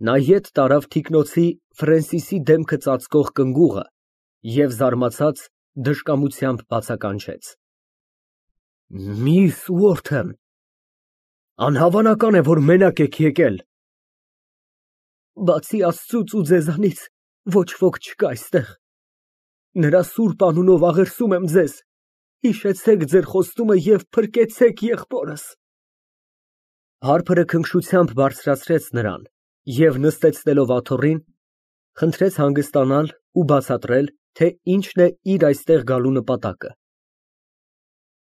Նա ետ տարավ թիկնոցի Ֆրենսիսի դեմքը ծածկող կնգուղը և զարմացած դժկամությամբ բացականչեց. Միս Ուորթեն, անհավանական է, որ մենակ եք եկել։ Բացի Աստծուց ու ձեզանից ոչ ոք չկա այստեղ։ Նրա սուրբ անունով աղերսում եմ ձեզ, հիշեցեք ձեր խոստումը և փրկեցեք եղբորս։ Հարբը քնքշությամբ բարձրացրեց նրան և նստեցնելով աթոռին, խնդրեց հանգստանալ ու բացատրել, թե ինչն է իր այստեղ գալու նպատակը։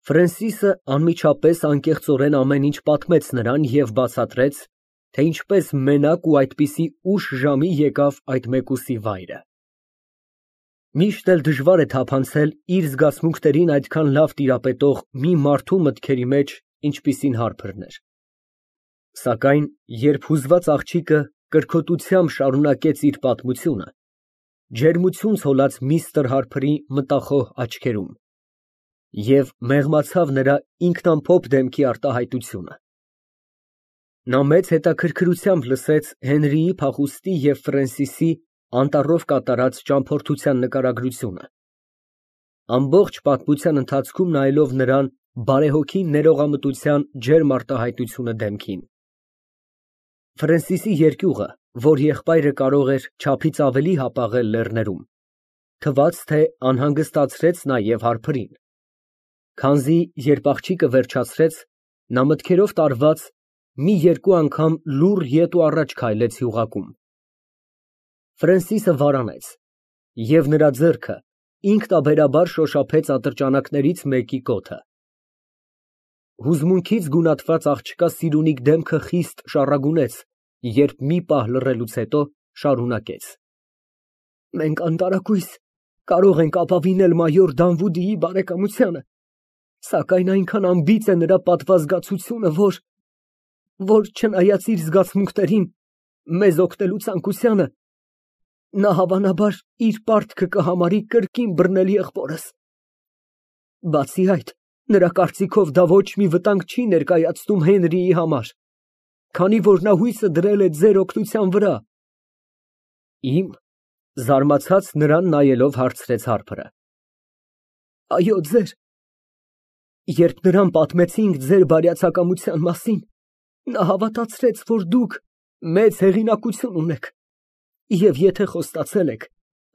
Ֆրենսիսը անմիջապես անկեղծորեն ամեն ինչ պատմեց նրան և բացատրեց, թե ինչպես մենակ ու այդպիսի ուշ ժամի եկավ այդ մեկուսի վայրը։ Միշտ էլ դժվար է թափանցել իր զգացմունքներին այդքան լավ տիրապետող մի մարդու մտքերի մեջ, ինչպիսին Հարփրն էր։ Սակայն երբ հուզված աղջիկը կրքոտությամբ շարունակեց իր պատմությունը, ջերմություն ցոլած միստր Հարփրի մտախոհ աչքերում և մեղմացավ նրա ինքնամփոփ դեմքի արտահայտությունը։ Նա մեծ հետաքրքրությամբ լսեց Հենրիի փախուստի և Ֆրենսիսի անտառով կատարած ճամփորդության նկարագրությունը, ամբողջ պատմության ընթացքում նայելով նրան բարեհոգի ներողամտության ջերմ արտահայտությունը դեմքին։ Ֆրենսիսի երկյուղը, որ եղբայրը կարող էր չափից ավելի հապաղել լեռներում, թվաց, թե անհանգստացրեց նաև Հարփրին, քանզի երբ աղջիկը վերջացրեց, նա մտքերով տարված մի երկու անգամ լուռ ետ ու առաջ քայլեց յուղակում։ Ֆրենսիսը վարանեց, և նրա ձեռքը ինքնաբերաբար շոշափեց ատրճանակներից մեկի կոթը։ Հուզմունքից գունատված աղջկա սիրունիկ դեմքը խիստ շառագունեց, երբ մի պահ լռելուց հետո շարունակեց. Մենք անտարակույս կարող ենք ապավինել մայոր Դանվուդիի բարեկամությանը, սակայն այնքան անբիծ է նրա պատվազգացությունը, որ չնայած իր զգացմունքներին մեզ օգնելու ցանկությանը, նա հավանաբար իր պարտքը կհամարի կրկին բռնել եղբորս։ Բացի այդ, նրա կարծիքով դա ոչ մի վտանգ չի ներկայացնում Հենրիի համար, քանի որ նա հույսը դրել է ձեր օգնության վրա։ Իմ, զարմացած նրան նայելով հարցրեց Հարփրը։ Այո, ձեր։ Երբ նրան պատմեցինք ձեր բարյացակամության մասին, նա հավատացրեց, որ դուք մեծ հեղինակություն ունեք, և եթե խոստացել եք,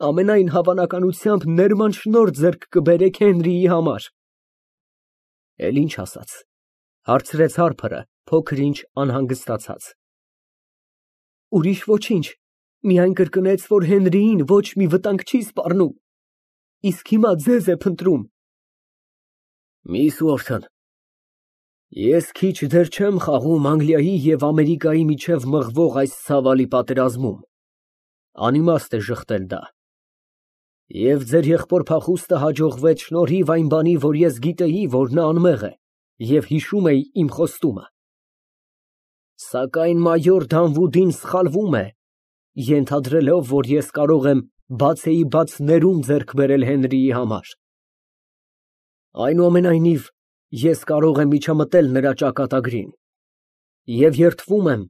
ամենայն հավանականությամբ ներման շնորհ ձեռք կբերեք Հենրիի համար։ Էլ ինչ ասաց, հարցրեց Հարփրը, փոքր ինչ անհանգստացած։ Ուրիշ ոչինչ, միայն կրկնեց, որ Հենրիին ոչ մի վտանգ չի սպառնում, իսկ հիմա ձեզ է փնտրում։ Միս Ուորթն, ես քիչ դեռ չեմ խաղում Անգլիայի և Ամերիկայի միջև մղվող այս ցավալի պատերազմում, անիմաստ է ժխտել դա։ Եվ ձեր եղբոր փախուստը հաջողվեց շնորհիվ այն բանի, որ ես գիտեի, որ նա անմեղ է և հիշում էի իմ խոստումը։ Սակայն մայոր Դանվուդին սխալվում է, ենթադրելով, որ ես կարող եմ բացեիբաց ներում ձեռք բերել Հենրիի համար։ Այնուամենայնիվ, ես կարող եմ միջամտել նրա ճակատագրին և երդվում եմ,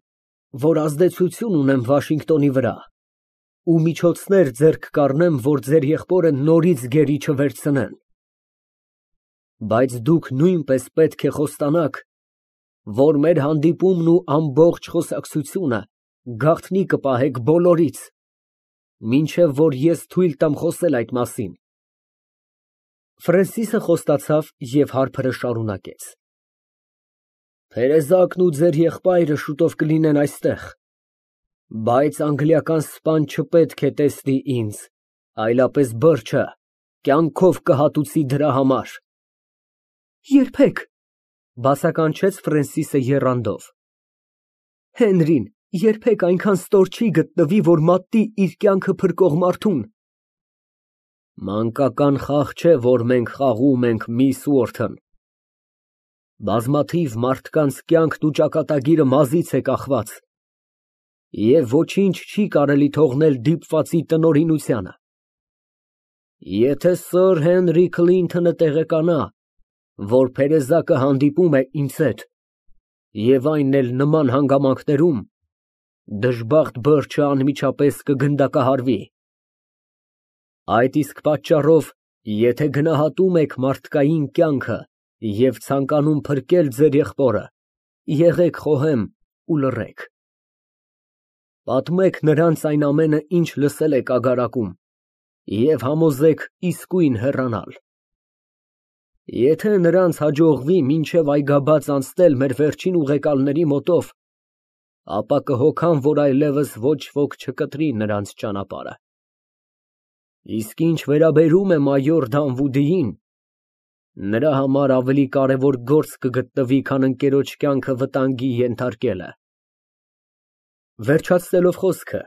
որ ազդեցություն ունեմ Վաշինգտոնի վրա ու միջոցներ ձեռք կառնեմ, որ ձեր եղբորը նորից գերի չվերցնեն։ Բայց դուք նույնպես պետք է խոստանաք, որ մեր հանդիպումն ու ամբողջ խոսակցությունը գաղտնի կպահեք բոլորից, մինչև որ ես թույլ տամ խոսել այդ մասին։ Ֆրենսիսը խոստացավ և Հարփրը շարունակեց. Թերեզակն ու ձեր եղբայրը շուտով կլինեն այստեղ, բայց անգլիական սպան չպետք է տեսնի ինձ, այլապես բրջը կյանքով կհատուցի դրա համար։ Երբեք, բացականչեց Ֆրենսիսը եռանդով։ Հենրին երբեք այնքան ստոր չի գտնվի, որ մատնի իր կյանքը փրկող մարդուն։ Մանկական խաղ չէ, որ մենք խաղում ենք, միս Ուորթն։ Բազմաթիվ մարդկանց կյանքն ու ճակատագիրը մազից է կախված, և ոչինչ չի կարելի թողնել դիպվածի տնօրինությանը։ Եթե սըր Հենրի Քլինթոնը տեղեկանա, որ փերեզակը հանդիպում է ինձ հետ, և այն էլ նման հանգամանքներում, դժբախտ բրջը անմիջապես կգնդակահարվի։ Այդ իսկ պատճառով, եթե գնահատում եք մարդկային կյանքը և ցանկանում փրկել ձեր եղբորը, եղեք խոհեմ ու լռեք։ Պատմեք նրանց այն ամենը, ինչ լսել եք ագարակում, և համոզեք իսկույն հեռանալ։ Եթե նրանց հաջողվի մինչև այգաբաց անցնել մեր վերջին ուղեկալների մոտով, ապա կհոգան, որ այլևս ոչ ոք չկտրի նրանց ճանապարհը։ Իսկ ինչ վերաբերում է մայոր Դանվուդիին, նրա համար ավելի կարևոր գործ կգտնվի, քան ընկերոջ կյանքը վտանգի ենթարկելը։ Վերջացնելով խոսքը,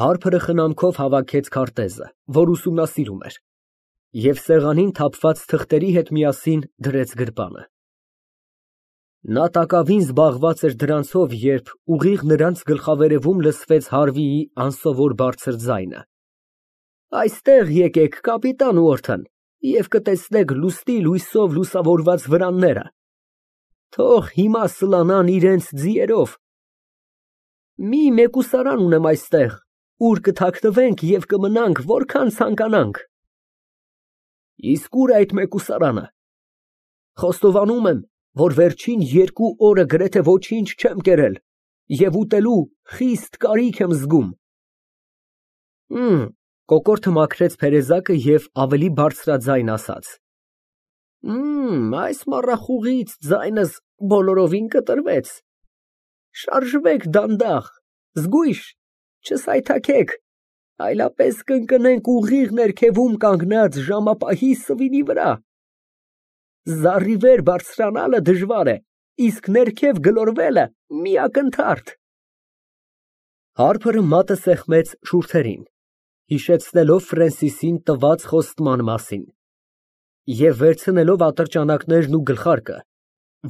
Հարփրը խնամքով հավաքեց քարտեզը, որ ուսումնասիրում էր, և սեղանին թափված թղթերի հետ միասին դրեց գրպանը։ Նա տակավին զբաղված էր դրանցով, երբ ուղիղ նրանց գլխավերևում լսվեց Հարվիի անսովոր բարձր ձայնը. Այստեղ եկեք, կապիտան Ուորթն, և կտեսնեք լուսնի լույսով լուսավորված վրանները, թող հիմա սլանան իրենց ձիերով։ Մի մեկուսարան ունեմ այստեղ, ուր կթաքնվենք և կմնանք որքան ցանկանանք։ Իսկ ուր է այդ մեկուսարանը։ Խոստովանում եմ, որ վերջին 2 օրը գրեթե ոչինչ չեմ կերել և ուտելու խիստ կարիք եմ զգում։ Կոկորդը մաքրեց փերեզակը և ավելի բարձրաձայն ասաց. Այս մառախուղից ձայնս բոլորովին կտրվեց։ Շարժվեք դանդաղ, զգույշ, չսայթաքեք, այլապես կընկնենք ուղիղ ներքևում կանգնած ժամապահի սվինի վրա։ Զառիվեր բարձրանալը դժվար է, իսկ ներքև գլորվելը մի ակնթարթ։ Հարփրը մատը սեղմեց շուրթերին, հիշեցնելով Ֆրենսիսին տված խոստման մասին, և վերցնելով ատրճանակներն ու գլխարկը,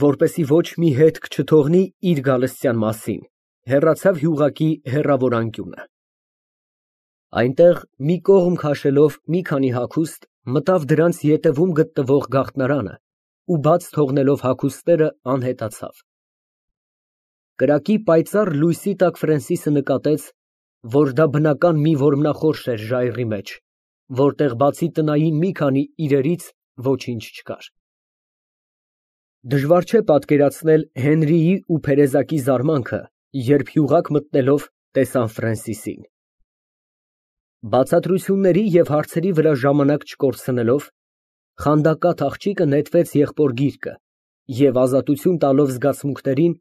որպեսզի ոչ մի հետք չթողնի իր գալստյան մասին, հեռացավ յուղակի հեռավոր անկյունը։ Այնտեղ, մի կողմ քաշելով մի քանի հագուստ, մտավ դրանց ետևում գտնվող գաղտնարանը ու բաց թողնելով հագուստները, անհետացավ։ Կրակի պայծառ լույսի տակ Ֆրենսիսը նկատեց, որ դա բնական մի որմնախորշ էր ժայռի մեջ, որտեղ բացի տնային մի քանի իրերից ոչինչ չկար։ Դժվար չէ պատկերացնել Հենրիի ու փերեզակի զարմանքը, երբ յուղակ մտնելով տեսան Ֆրենսիսին։ Բացատրությունների և հարցերի վրա ժամանակ չկորցնելով, խանդակատ աղջիկը նետվեց եղբոր գիրկը և ազատություն տալով զգացմունքներին,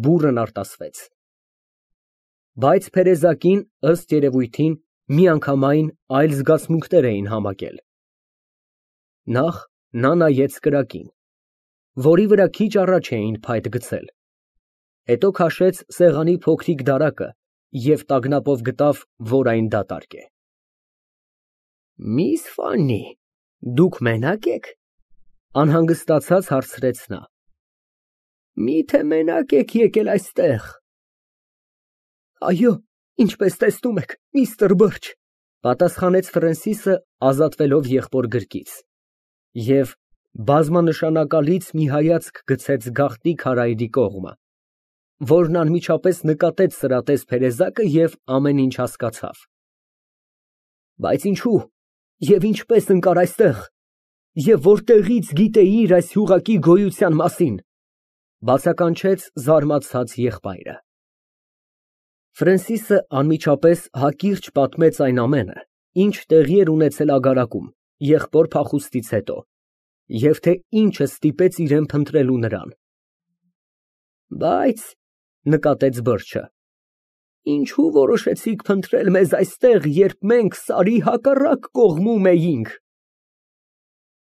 բուռն արտասվեց։ Բայց փերեզակին, ըստ երևույթին, միանգամայն այլ զգացմունքներ էին համակել։ Նախ նա նայեց կրակին, որի վրա քիչ առաջ էին փայտ գցել, հետո քաշեց սեղանի փոքրիկ դարակը և տագնապով գտավ, որ այն դատարկ է։ Միս Ֆաննի, դուք մենա՞կ եք, անհանգստացած հարցրեց նա։ Միթե մենա՞կ եք եկել այստեղ։ Այո, ինչպես տեսնում եք, միստր Բըրջ, պատասխանեց Ֆրենսիսը, ազատվելով եղբոր գրկից, և բազմանշանակալից մի հայացք գցեց գաղտնի քարայրի կողմը, որն անմիջապես նկատեց սրատես փերեզակը և ամեն ինչ հասկացավ։ Բայց ինչու և ինչպես ընկար այստեղ, և որտեղից գիտեիր այս յուղակի գոյության մասին, բացականչեց զարմացած եղբայրը։ Ֆրենսիսը անմիջապես հակիրճ պատմեց այն ամենը, ինչ տեղի էր ունեցել ագարակում, եղբոր փախուստից հետո, և թե ինչը ստիպեց իրան փնտրելու նրան։ Բայց, նկատեց Բըրջը, ինչու որոշեցիք փնտրել մեզ այստեղ, երբ մենք սարի հակառակ կողմում էինք։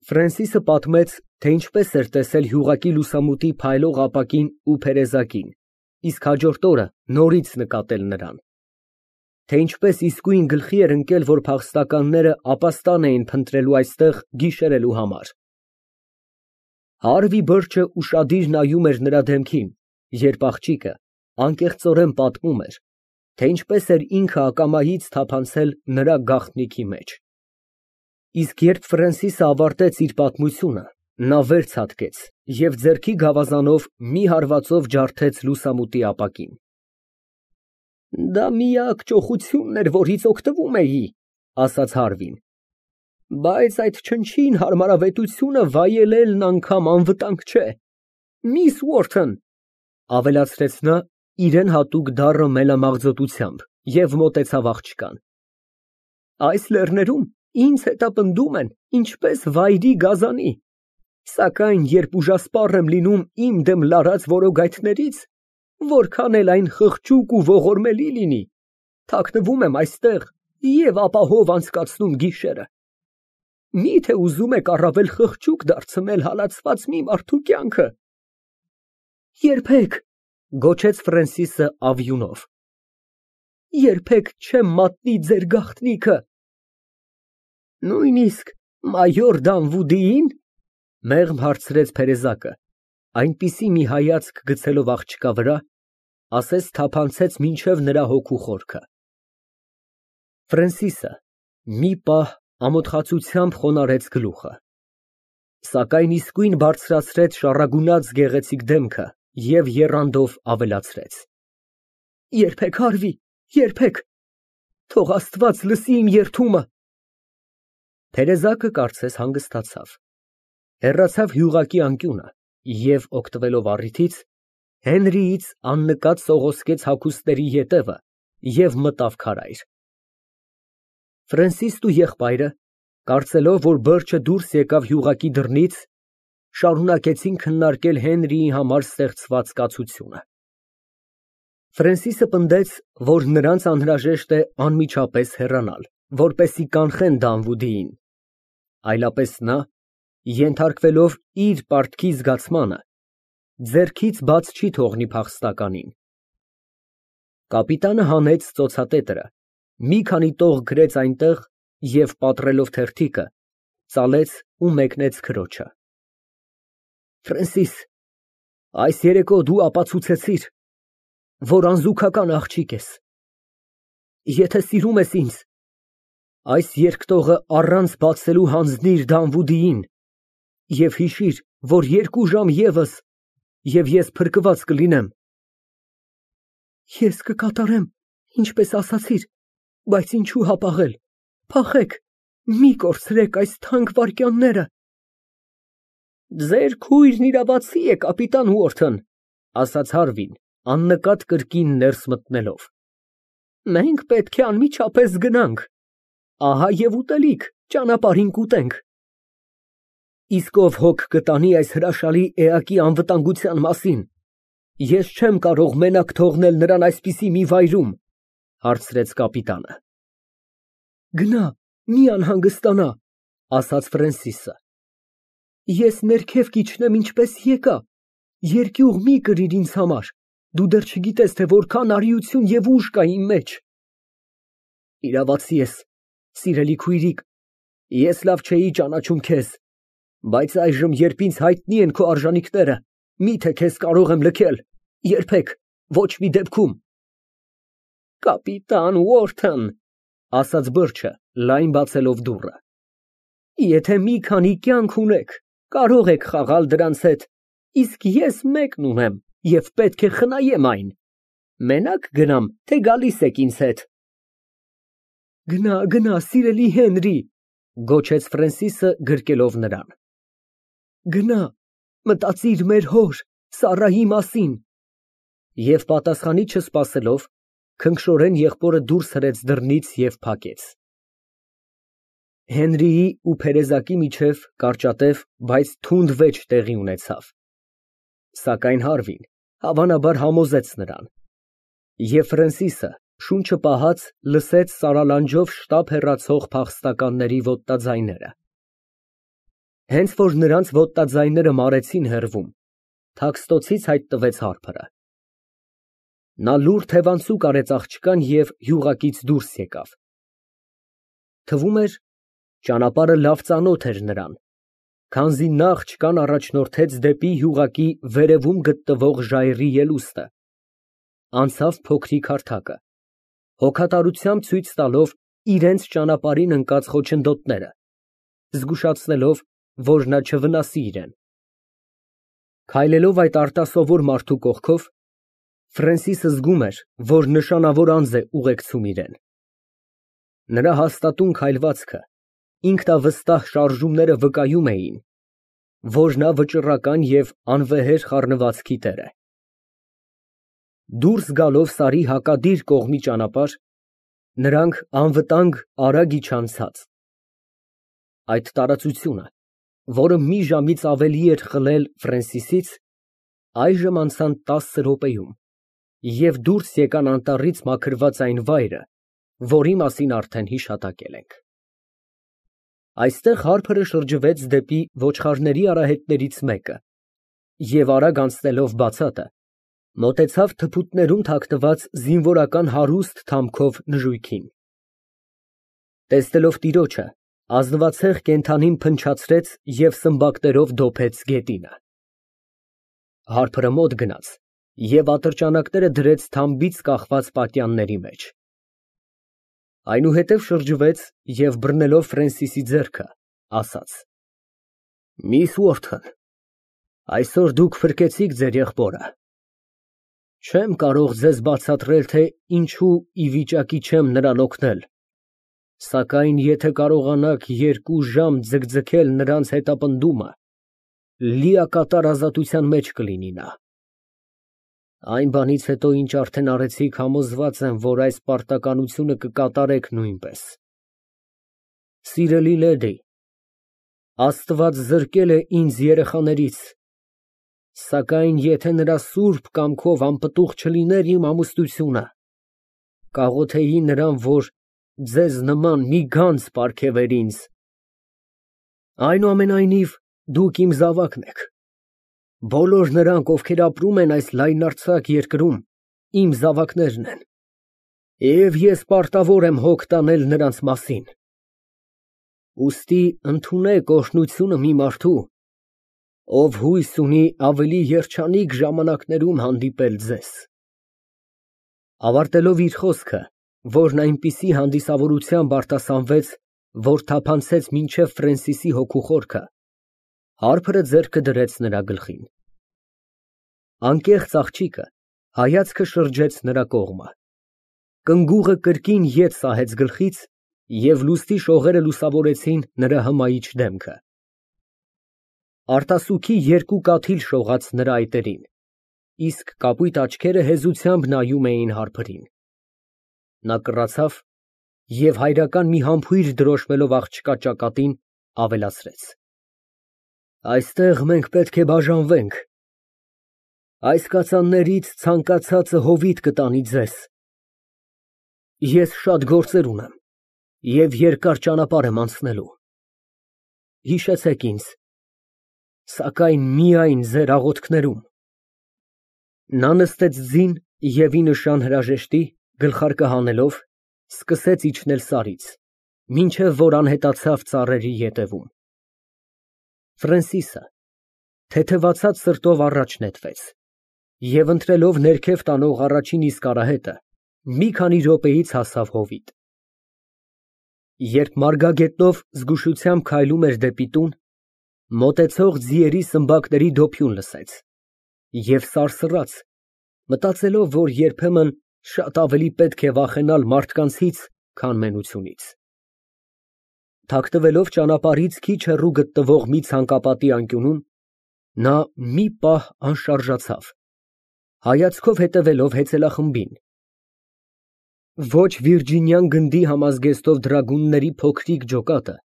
Ֆրենսիսը պատմեց, թե ինչպես էր տեսել յուղակի լուսամուտի փայլող ապակին ու փերեզակին, իսկ հաջորդ օրը նորից նկատել նրան, թե ինչպես իսկույն գլխի էր ընկել, որ փախստականները ապաստան էին փնտրելու այստեղ գիշերելու համար։ Հարվի Բըրջը ուշադիր նայում էր նրա դեմքին, երբ աղջիկը անկեղծորեն պատմում էր, թե ինչպես էր ինքը ակամայից թափանցել նրա գաղտնիքի մեջ։ Իսկ երբ Ֆրենսիսը ավարտեց իր պատմությունը, նա վեր ցատկեց և ձեռքի գավազանով մի հարվածով ջարդեց լուսամուտի ապակին։ Դա միակ ճոխությունն էր, որից օգտվում էի, ասաց Հարվին։ Բայց այդ չնչին հարմարավետությունը վայելելն անգամ անվտանգ չէ։ Միս Ուորթն, ավելացրեց նա իրեն հատուկ դառը մելամաղձոտությամբ և մոտեցավ աղջկան, այս լեռներում ինձ հետապնդում են ինչպես վայրի գազանի, սակայն երբ ուժասպառ եմ լինում իմ դեմ լարած որոգայթներից, որքան էլ այն խղճուկ ու ողորմելի լինի, թաքնվում եմ այստեղ և ապահով անցկացնում գիշերը։ Միթե ուզում եք առավել խղճուկ դարձնել հալածված մի մարդու կյանքը։ Երբեք, գոչեց Ֆրենսիսը ավյունով, երբեք չեմ մատնի ձեր գաղտնիքը։ Նույնիսկ մայոր Դանվուդիին, մեղմ հարցրեց Փերեզակը, այնպիսի մի հայացք գցելով աղջկա վրա, ասես թափանցեց մինչև նրա հոգու խորքը։ Ֆրենսիսը մի պահ ամոթխացությամբ խոնարհեց գլուխը, սակայն իսկույն բարձրացրեց շառագունած գեղեցիկ դեմքը և եռանդով ավելացրեց. Երբեք, Հարվի, երբեք, թող Աստված լսի իմ երդումը։ Թերեզակը կարծես հանգստացավ, հեռացավ յուղակի անկյունը և, օգտվելով առիթից, Հենրիից աննկատ սողոսկեց հագուստների ետևը և մտավ քարայր։ Ֆրենսիսն ու եղբայրը, կարծելով, որ բրջը դուրս եկավ յուղակի դռնից, շարունակեցին քննարկել Հենրիի համար ստեղծված կացությունը։ Ֆրենսիսը պնդեց, որ նրանց անհրաժեշտ է անմիջապես հեռանալ, որպեսզի կանխեն Դանվուդիին, այլապես նա, ենթարկվելով իր պարտքի զգացմանը, ձեռքից բաց չի թողնի փախստականին։ Կապիտանը հանեց ծոցատետրը, մի քանի տող գրեց այնտեղ և, պատռելով թերթիկը, ծալեց ու մեկնեց քրոջը։ Ֆրենսիս, այս երեկո դու ապացուցեցիր, որ անզուգական աղջիկ ես։ Եթե սիրում ես ինձ, այս երկտողը առանց բացելու հանձնիր Դանվուդիին և հիշիր, որ 2 ժամ ևս, և ես փրկված կլինեմ։ Ես կկատարեմ, ինչպես ասացիր, բայց ինչու հապաղել, փախեք, մի կորցրեք այս թանկ վայրկյանները։ Ձեր քույրն իրավացի է, կապիտան Ուորթն, ասաց Հարվին, աննկատ կրկին ներս մտնելով։ Մենք պետք է անմիջապես գնանք, ահա և ուտելիք, ճանապարհին կուտենք։ Իսկ ով հոգ կտանի այս հրաշալի էակի անվտանգության մասին, ես չեմ կարող մենակ թողնել նրան այսպիսի մի վայրում, հարցրեց կապիտանը։ Գնա, մի անհանգստանա, ասաց Ֆրենսիսը։ Ես ներքև կիջնեմ ինչպես եկա, երկյուղ մի կրիր ինձ համար, դու դեռ չգիտես, թե որքան արիություն և ուժ կա իմ մեջ։ Իրավացի ես, սիրելի քույրիկ, ես լավ չէի ճանաչում քեզ, բայց այժմ, երբ ինձ հայտնի են քո արժանիքները, միթե քեզ կարող եմ լքել, երբեք, ոչ մի դեպքում։ Կապիտան Ուորթն, ասաց բրջը, լայն բացելով դուռը, եթե մի քանի կյանք ունեք, կարող եք խաղալ դրանց հետ, իսկ ես մեկն ունեմ և պետք է խնայեմ այն, մենակ գնամ, թե գալիս եք ինձ հետ։ Գնա, գնա, սիրելի Հենրի, գոչեց Ֆրենսիսը գրկելով նրան։ Գնա, մտածիր մեր հոր Սառայի մասին։ Եվ պատասխանի չսպասելով, քնքշորեն եղբորը դուրս հրեց դռնից և փակեց։ Հենրիի ու Փերեզակի միջև կարճատև, բայց թունդ վեճ տեղի ունեցավ, սակայն Հարվին, հավանաբար, համոզեց նրան, և Ֆրենսիսը, շունչը պահած, լսեց սարալանջով շտապ հեռացող փախստականների ոտնաձայները։ Հենց որ նրանց ոտնաձայները մարեցին հեռվում, թաքստոցից հայտնվեց Հարփրը։ Նա լուռ թևանցուկ արեց աղջկան և յուղակից դուրս եկավ։ Թվում էր, ճանապարհը լավ ծանոթ էր նրան, քանզի նա աղջկան առաջնորդեց դեպի յուղակի վերևում գտնվող ժայռի ելուստը, անցավ փոքրիկ հարթակը, հոգատարությամբ ցույց տալով իրենց ճանապարհին ընկած խոչընդոտները, զգուշացնելով, որ նա չվնասի իրեն։ Քայլելով այդ արտասովոր մարդու կողքով, Ֆրենսիսը զգում էր, որ նշանավոր անձ է ուղեկցում իրեն։ Նրա հաստատուն քայլվածքը, ինքնավստահ շարժումները վկայում էին, որ նա վճռական և անվեհեր խառնվածքի տեր է։ Դուրս գալով սարի հակադիր կողմի ճանապարհ, նրանք անվտանգ արագ իջան ցած։ Այդ տարածությունը, որը մի ժամից ավելի էր խլել Ֆրենսիսից, այժմ անցան 10 րոպեում և դուրս եկան անտառից մաքրված այն վայրը, որի մասին արդեն հիշատակել ենք։ Այստեղ Հարփրը շրջվեց դեպի ոչխարների արահետներից մեկը և արագ անցնելով բացատը, մոտեցավ թփուտներում թաքնված զինվորական հարուստ թամքով նժույգին։ Տեսնելով տիրոջը, ազնվացեղ կենդանին փնչացրեց և սմբակներով դոփեց գետինը։ Հարփրը մոտ գնաց և ատրճանակները դրեց թամբից կախված պատյանների մեջ։ Այնուհետև շրջվեց և բռնելով Ֆրենսիսի ձեռքը, ասաց. «Միս Ուորթոն, այսօր դուք փրկեցիք ձեր եղբորը։ Չեմ կարող ձեզ բացատրել, թե ինչու ի վիճակի չեմ նրան օգնել, սակայն եթե կարողանաք 2 ժամ ձգձգել նրանց հետապնդումը, լիակատար ազատության մեջ կլինի նա։ Այն բանից հետո, ինչ արդեն արեցիք, համոզված եմ, որ այս պարտականությունը կկատարեք նույնպես։ Սիրելի լեդի, Աստված զրկել է ինձ երեխաներից, սակայն եթե նրա սուրբ կամքով անպտուղ չլիներ իմ ամուսնությունը, կաղոթեի նրան, որ ձեզ նման մի գանձ պարգևեր ինձ։ Այնուամենայնիվ, դուք իմ զավակն եք։ Բոլոր նրանք, ովքեր ապրում են այս լայնարձակ երկրում, իմ զավակներն են, և ես պարտավոր եմ հոգ տանել նրանց մասին։ Ուստի ընդունեք օրհնությունը մի մարդու, ով հույս ունի ավելի երջանիկ ժամանակներում հանդիպել ձեզ։ Ավարտելով իր խոսքը, որն այնպիսի հանդիսավորությամբ արտասանվեց, որ թափանցեց մինչև Ֆրենսիսի հոգու խորքը, Հարփրը ձեռքը դրեց նրա գլխին։ Անկեղծ աղջիկը հայացքը շրջեց նրա կողմը։ Կնգուղը կրկին ետ սահեց գլխից, և լուսնի շողերը լուսավորեցին նրա հմայիչ դեմքը։ Արտասուքի 2 կաթիլ շողաց նրա այտերին, իսկ կապույտ աչքերը հեզությամբ նայում էին Հարփրին։ Նա կռացավ և հայրական մի համբույր դրոշմելով աղջկա ճակատին, ավելացրեց. Այստեղ մենք պետք է բաժանվենք։ Այս կածաններից ցանկացածը հովիտ կտանի ձեզ։ Ես շատ գործեր ունեմ և երկար ճանապարհ եմ անցնելու։ Հիշեցեք ինձ, սակայն միայն ձեր աղոթքներում։ Նա նստեց ձին և ի նշան հրաժեշտի, գլխարկը հանելով, սկսեց իջնել սարից, մինչև որ անհետացավ ծառերի ետևում։ Ֆրենսիսը թեթևացած սրտով առաջ նետվեց և ընտրելով ներքև տանող առաջին իսկ արահետը, մի քանի րոպեից հասավ հովիտ։ Երբ մարգագետնով զգուշությամբ քայլում էր դեպի տուն, մոտեցող ձիերի սմբակների դոփյուն լսեց և սարսռաց, մտածելով, որ երբեմն շատ ավելի պետք է վախենալ մարդկանցից, քան մենությունից։ Թաքնվելով ճանապարհից քիչ հեռու գտնվող մի ցանկապատի անկյունում, նա մի պահ անշարժացավ, հայացքով հետևելով հեծելախմբին։ Ոչ Վիրջինյան գնդի համազգեստով դրագունների փոքրիկ ջոկատը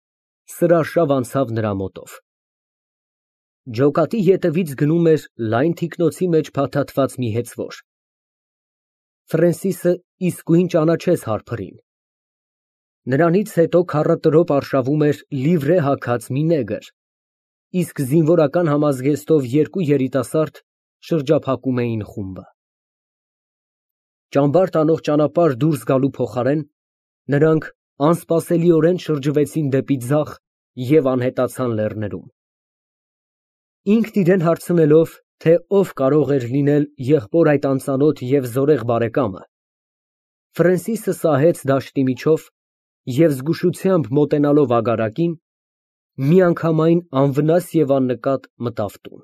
սրարշավ անցավ նրա մոտով։ Ջոկատի ետևից գնում էր լայն թիկնոցի մեջ փաթաթված մի հեծվոր։ Ֆրենսիսը իսկույն ճանաչեց Հարփրին։ Նրանից հետո քառատրոպ արշավում էր լիվրե հագած մի նեգր, իսկ զինվորական համազգեստով 2 երիտասարդ շրջափակում էին խումբը։ Ճամբար տանող ճանապարհ դուրս գալու փոխարեն, նրանք անսպասելիորեն շրջվեցին դեպի ձախ և անհետացան լեռներում։ Ինքն իրեն հարցնելով, թե ով կարող էր լինել եղբոր այդ անծանոթ և զորեղ բարեկամը, Ֆրենսիսը սահեց դաշտի միջով և զգուշությամբ մոտենալով ագարակին, միանգամայն անվնաս և աննկատ մտավ տուն։